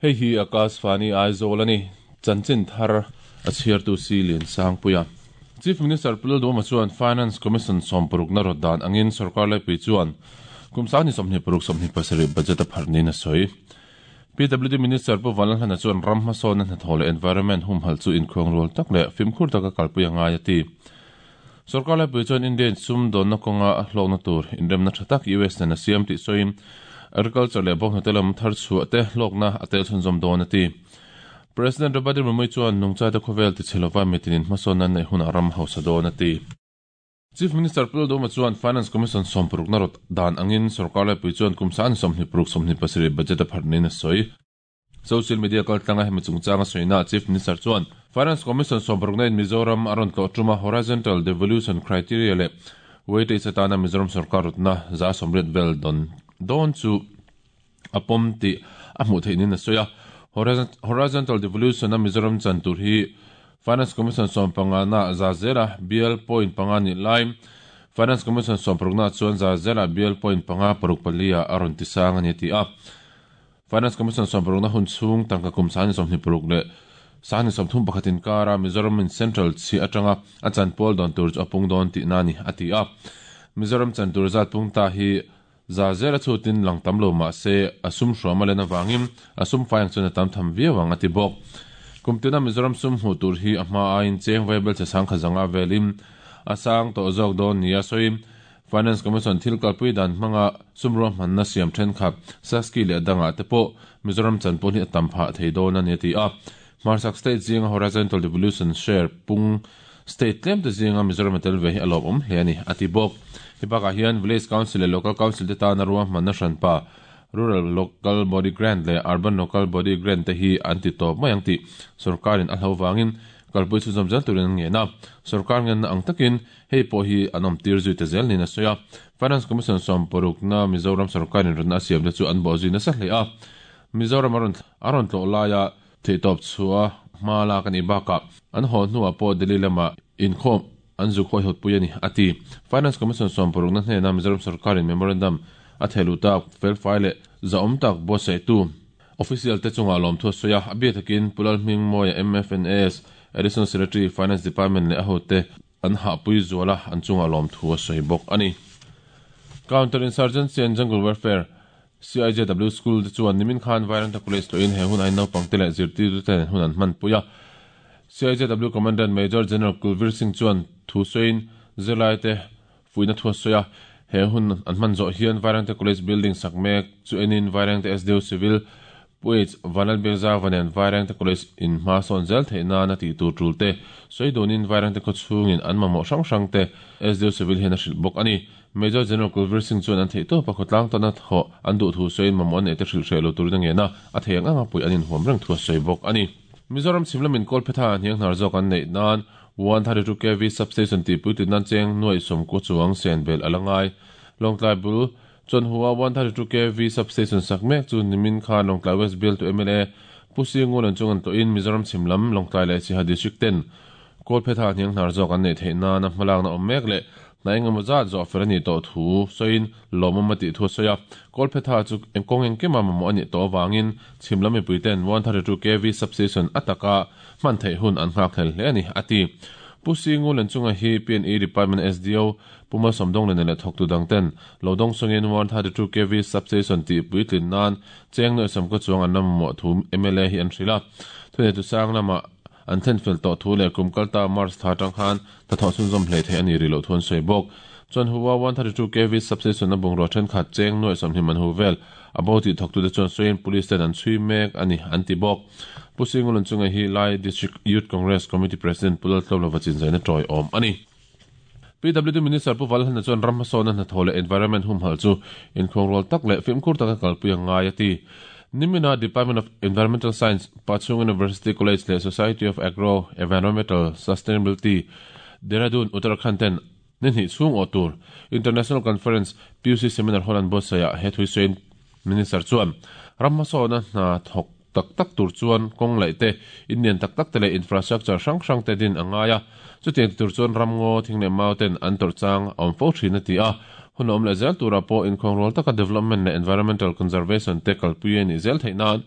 Hei hi Akashvani Aizawl a ni. Chanchin thar a chhiartu si Liansangpuia. Chief Minister Pu Lalduhoma chuan Finance Commission sawmparukna rawt dan angin sorkar laipui chuan kum 2026 27 budget a pharh niin a sawi. PWD Minister Pu Vanlalhlana chuan ram hmasawnna hnathawh leh environment humhalh chu inkhuangrual tak leh fimkhur taka kalpui a ngai a ti. Sorkar laipui chuan India in sum dawnna kawnga a hlawkna tur inremna tha tak US nen a siam tih sawiin agriculture leh bawnghnute lam thar chhuah te hlawkna a tel chhunzawm dawn a ti. President Draupadi Murmu chuan nungchate khawvel tichhe lova mitinin hmasawnna an neih hunah ram hausa dawn a ti. Chief Minister Pu Lalduhoma chuan Finance Commission sawmparukna rawt dan angin sorkar laipui chuan kum 2026 27 budget a pharh niin a sawi. Social media kaltlanga hemi chungchanga sawina Chief Minister chuan Finance Commission sawmparukna in Mizoram a rawn tlawh tuma Horizontal Devolution Criteria leh Weightage atana Mizoram sorkar rawtna 80% vel dawn dawn chu a pawm tih a hmuh theih niin a sawi a. Horizontal Devolution a Mizoram chan tur hi Finance Commission sawmpangana 100%-a bial point panga nih lai Finance Commission sawmparukna chuan 100%-a bial point panga paruk pali-ah a rawn tisang a ni a ti a. Finance Commission sawmparukna hun chhung tangka kum 2026 leh 2031 inkara Mizoram in Central chhiah atanga a chanpual dawn tur chu a pung dawn tihna a ni, a ti a. Mizoram chan tur zat pung ta hi 100% a chhutin lang tam lo mah se a sum hruam a len avangin a sum fai ang chuan a tam tham viau ang, a ti bawk. Kum tina Mizoram sum hmuh tur hi a hma aiin cheng vaibel che sangkhat zanga velin a sang tawh zawk dawn nia sawiin Finance Commission thil kalpui dan hmanga sum ruahmanna siam thenkhat Saski leh dangah te pawh Mizoram chanpawh hi a tam phah thei dawn a ni a ti a. Hmarchhak state zinga Horizontal Devolution share pung state tlem te zinga Mizoram a tel ve hi a lawmawm hle a ni a ti bawk. Hei bakah hian Village Council leh Local Council te tana ruahmanna hranpa Rural Local Body Grant leh Urban Local Body Grant te hi an ti tawp mai ang tih sorkarin a hlo vangin kalpui chhunzawm zel turin an ngen a. Sorkar ngenna ang takin Hei pawh hi an awm tir zui ta zel niin a sawi a. Finance Commission sawmparukna Mizoram sorkarin rawnna a siamte chu an bawh zui nasa hle a. Mizoram a rawn a rawn tlawh laia theihtawp chhuah hma lak a nih bakah an haw hnuah pawh Delhi lamah inkhawm an zu khawihawtpui a ni, a ti. Finance Commission sawmparukna hnena Mizoram sorkarin memorandum a thehluh tak felfai leh zahawm tak buatsaihtu Official te chungah lawmthu a sawi a, a bia takin Pu Lalhmingmawia MFNAS Additional Secretary Finance Department leh a hote an hahpui zual a, an chungah lawmthu a sawi bawk a ni. Counter Insurgency and Jungle Warfare, CIJW, School te chuan nimin khan Vairengte College tlawhin he hun ain naupangte leh zirtirtute nen hun an hmanpui a. CIJW Commandant Major General Kulvir Singh chuan thu sawiin zirlaite fuihna thu a sawi a, he hun an hman zawh hian Vairengte College building sak mek chu enin Vairengte SDO Civil Puaich Vanlalbiakzauva nen Vairengte College in hma sawn zel theih nana tih tur tul te sawi dunin Vairengte khaw chhungin an mamawh hrang hrang te SDO Civil hian a hrilh bawk a ni. Major General Kulvir Singh chuan an theihtawpa khawtlang tana thawh an duh thu sawiin mamawh an neih te hrilh hreh lo turin a ngen a, a thei ang anga puih an inhuam reng thu a sawi bawk a ni. Mizoram chhim lamin Kawlphetha hnianghnar zawk an neih nan 132 kv substation tih puitlin nan cheng nuaih sawmkua chuang sen belh a la ngai. Lawngtlai bul Chawnhua 132 kv substation sak mek chu nimin khan Lawngtlai West bialtu mla Pu Singu len chung an tlawhin Mizoram chhim lam Lawngtlai leh Siaha District ten Kawlphetha hnianghnar zawk an neih theih nana hmalakna awm mek leh hna engemaw zat zawh fel a nih tawh thu sawiin lawmawm a tih thu a sawi a. Kawlphetha chu kawng engkima mamawh a nih tawh avangin chhim lam mipui ten 132 kv substation a taka hman theih hun an nghakhlel hle a ni, a ti. Pu Singu Lenchunga hi PNE Department SDO Pu Malsawmdawng leh leh thawktu dang ten lo dawng sawngin 132 kv substation tih puitlin nan cheng nuaih sawmkaw chuang an la mamawh thu mla hi an hrilh a. Thuneitu sang lamah an thlen fel tawh thu leh kum kalta March thla atang khan hnathawh chhunzawm hlei theih a ni rih loh thu an sawi bawk. Chuan Hua 132 kv substation a bungrua thenkhat cheng nuaih sawmhnih man hu vel a bo tih thawktute chuan sawiin police ten an chhui mek a ni an ti bawk. Pu Singulun chunga hi Lai District Youth Congress Committee President Pu Laltlawmlova chinzaina tawiawm a ni. PWD Minister Pu Valhana chuan ram hmasawnna hnathawh leh environment humhalh chu inkhuangrual tak leh fimkhur taka kalpui a ngai a ti. Nimina Department of Environmental Science, Pachhung University College leh Society of Agro Environmental Sustainability, Dehradun, Uttarakhand ten ni hnih chhung awh tur International Conference PUC Seminar Hall an buatsaihah he thui sawiin Minister chuan ram hmasawnna hna thawk tak tak tur chuan kawng laih te, in lian tak tak te leh infrastructure hrang hrang te din a ngai a. Chutiang ti tur chuan ramngaw, thing leh mau ten an tawrh chang a awm fo thin a ti a. Hun a awm leh zel turah pawh inkhuangrual taka development leh environmental conservation te kalpui a nih zel theih nan.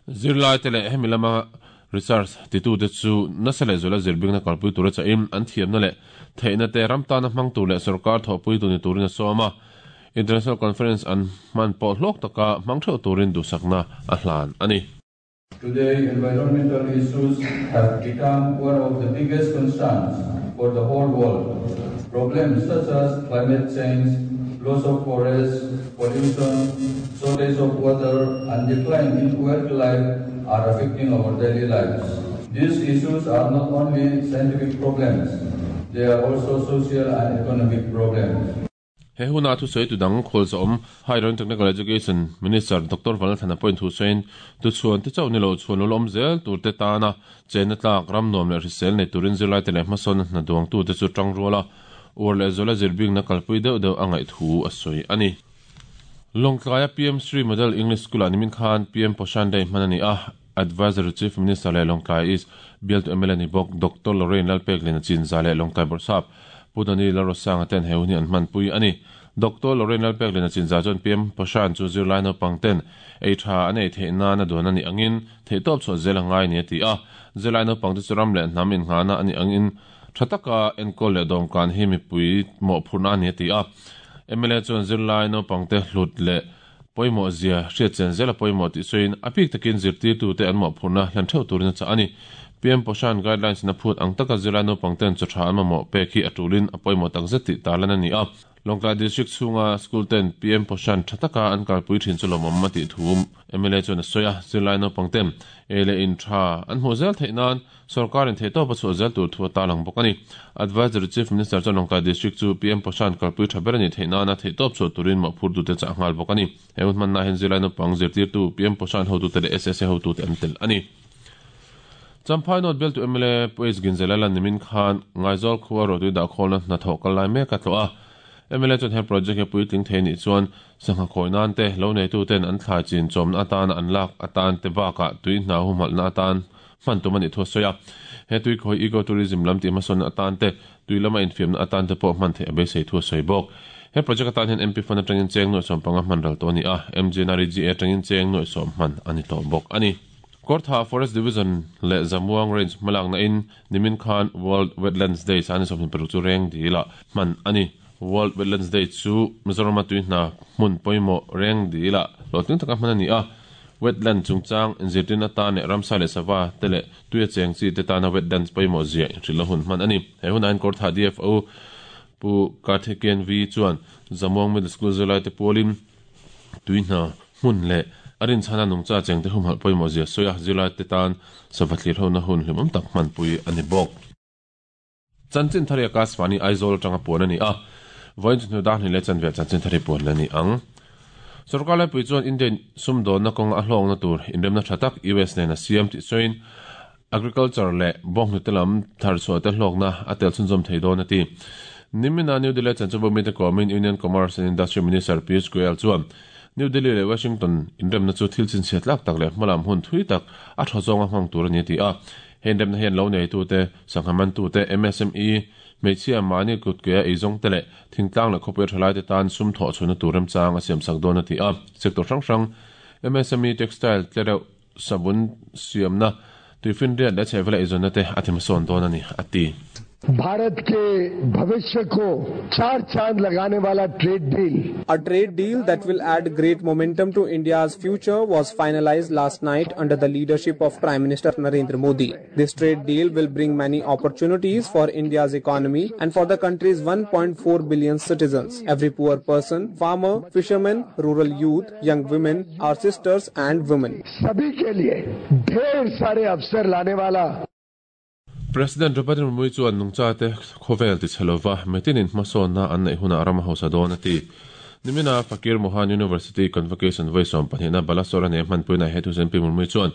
Zirlaite leh hemi lama research titute chu nasa lehzuala zirbingna kalpui tura chahin an thiamna leh theihna te ram tana hmang tur leh sorkar thawhpui tu ni turin a sawm a. International Conference an hman pawh hlawk taka hmang theuh turin duhsakna a hlan a ni. Today, environmental issues have become one of the biggest concerns for the whole world. Problems such as climate change, loss of forests, pollution, shortage of water, and decline in wildlife are affecting our daily lives. These issues are not only scientific problems, they are also social and economic problems. He huna thusawi tu dang khualzawm Higher and Technical Education Minister Doctor Vanlalthana pawhin thusawiin tuchhuan te chauh ni lo chhuan lawm zel tur te tana chenna tlak ram nuam leh hrisel nei turin zirlaite leh hmasawn hna duangtu te chu tang ruala uar leh zuala zirbingna kalpui deuh deuh a ngaih thu a sawi a ni. Lawngtlaia PM Shri Model English School-ah nimin khan PM Poshan Day hman a ni a, Advisory Chief Minister leh Lawngtlai East bialtu mla ni bawk Doctor Lorraine Lalpekliana Chinza leh Lawngtlai Bawrhsap Pu Dani Lalrosanga ten he hun hi an hmanpui a ni. Doctor Lorraine Lalpekliana Chinza chuan PM Poshan chu zirlai naupang ten ei tha an ei theih nan a duan a nih angin theihtawp chhuah zel a ngai ni a ti a. Zirlai naupang te chu ram leh hnam innghahna a nih angin tha taka enkawl leh dawmkan hi mipui mawhphurhna a ni a ti a. Mla chuan zirlai naupang te hlut leh pawimawh zia hriat chen zel a pawimawh tih sawiin a bik takin zirtirtute an mawhphurhna hlan theuh turin a chah a ni. PM Poshan Guidelines in a phut ang taka zirlai naupang ten chaw tha an mamawh pek hi a tulin a pawimawh takzet tih tarlan a ni a. Lawngtlai District chhunga school ten PM Poshan tha taka an kalpui thin chu lawmawm a tih thu mla chuan a sawi a. Zirlai naupang ten ei leh in tha an hmuh zel theih nan Sorkarin theihtawp a chhuah zel tur thu a tarlang bawk a ni. Advisory Chief Minister chuan Lawngtlai District chu PM Poshan kalpui tha ber a nih theih nana theihtawp chhuah turin mawhphurtute chah nghal bawk a ni. He hun hmanna hian zirlai naupang zirtirtu PM Poshan hotute leh SSA hotute an tel a ni. Champhai North bialtu mla Pu H Ginzela lan nimin khan Ngaizawl khua ruahtui dahkhawlna hnathawh kal lai mek a tlawh a. Mla chuan he project hi puitling thei nih chuan sangha khawi nan te, lo neituten an thlai chin chawmna atana an lak atan te bakah tui hna humhalhna atan hman tum a nih thu a sawi a. He tui khawi eco tourism lam tih hmasawnna atan te, tui lama infiamna atan te pawh hman theih a beisei thu a sawi bawk. He project atan hian MP fund atangin cheng nuaih 15 hman ral tawh a ni a, MGNREGA atangin cheng nuaih 10 hman a ni tawh bawk a ni. Kawrtha Forest Division leh Zamuang Range hmalakna in nimin khan World Wetlands Day sani 26 chu reng dil ah hman a ni. World Wetlands Day chu Mizorama tui hna hmun pawimawh reng dil ah hlawhtling taka hman a ni a. Wetland chungchang inzirtirna atan leh ramsa leh sava te leh tuia cheng chi te tana wetlands pawimawh zia inhrilhna hun hman a ni. He hunah hian Kawrthah DFO Pu Karthikeyan V chuan Zamuang Middle School zirlaite pualin tui hna hmun leh a rinchhana nungcha chengte humhalh pawimawh zia sawi a, zirlaite tan sava thlirhona hun hlimawm tak hmanpui a ni bawk. Chanchin thar hi Akashvani Aizawl atanga puan a ni a, vawiin chu hnu dar hnih leh chanve ah chanchin thar hi puan la ni ang. Sorkar laipui chuan India in sumdawnna kawnga a hlawkna tur inremna tha tak US nen a siam tih sawiin Agriculture leh bawnghnute lam tharchhuah te hlawkna a tel chhunzawm thei dawn a ti. Nimina New Delhi chanchinbu mite kawmin Union Commerce and Industry Minister Piyush Goyal chuan New Delhi leh Washington inremna chu thil chhinchhiat tlak tak leh hmalam hun thui tak a thaw zawnga hmang tur a ni a ti a. He inremna hian lo neitute, sangha mantute, MSME, hmeichhia, mahni kutkea eizawngte leh thingtlang leh khawpui thalaite tan sum thawh chhuahna tur remchang a siamsak dawn a ti a. Sector hrang hrang, MSME, textile, tlereuh, sabun siamna, tuifinriat leh chhehvela eizawnna te a thimsawn dawn a ni, a ti. Bharat ke bhavishya ko chaar chaand lagane wala trade deal. A trade deal that will add great momentum to India's future was finalized last night under the leadership of Prime Minister Narendra Modi. This trade deal will bring many opportunities for India's economy and for the country's 1.4 billion citizens. Every poor person, farmer, fisherman, rural youth, young women, our sisters and women. Sabhi ke liye dher sare avsar lane wala. President Draupadi Murmu chuan nungchate khawvel tichhe lova metinin hmasawnna an neih hunah ram a hausa dawn a ti. Nimina Fakir Mohan University Convocation vawi 12na Balasore nei hmanpuina he thusawi Pi Murmu chuan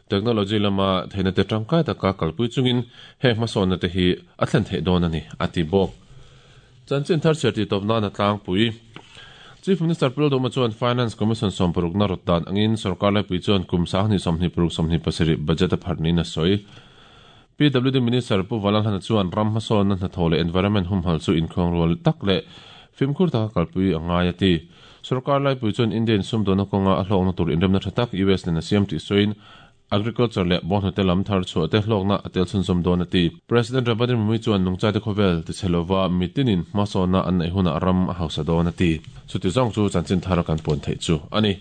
technology lama theihna te tangkai taka kalpui chungin heng hmasawnna te hi a thlen theih dawn a ni, a ti bawk. Chanchin thar chhiar tih tawp nan a tlangpui. Chief Minister Pu Lalduhma chuan Finance Commission sawmparukna rawt dan angin sorkar laipui chuan kum 20 25 27 budget a pharh niin a sawi. PWD Minister Pu Valalhana chuan ram hmasawnna hnathawh leh environment humhalh chu inkhawng rual tak leh fimkhur taka kalpui a ngai a ti. Sorkar laipui chuan India in sumdawnna kawnga a hlawkna tur inremna tha tak US nen a siam tih sawiin agriculture leh bawnghnute lam thar chhuah te hlawkna a tel chhunzawm dawn a ti. President Draupadi Murmu chuan nungchate khawvel tichhe lova mitinin hmasawnna an neih hunah ram a hausa dawn a ti. Chuti zawng chu chanchin thar kan puan theih chu a ni.